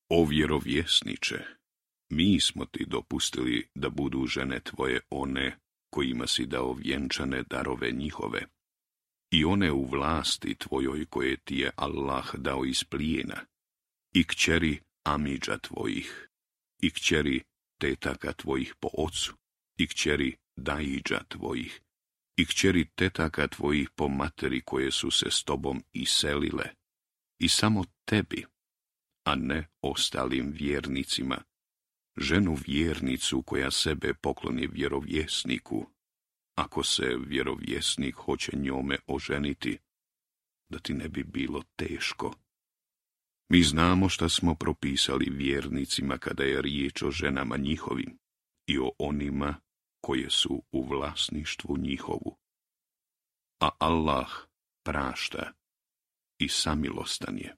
O vjerovjesniče, mi smo ti dopustili da budu žene tvoje one kojima si dao vjenčane darove njihove, i one u vlasti tvojoj koje ti je Allah dao iz plijena, i kćeri amidža tvojih, i kćeri tetaka tvojih po ocu, i kćeri daidža tvojih, i kćeri tetaka tvojih po materi koje su se s tobom iselile, i samo tebi, a ne ostalim vjernicima, ženu vjernicu koja sebe pokloni vjerovjesniku, ako se vjerovjesnik hoće njome oženiti, da ti ne bi bilo teško. Mi znamo šta smo propisali vjernicima kada je riječ o ženama njihovim i o onima koje su u vlasništvu njihovu. A Allah prašta i samilostan je.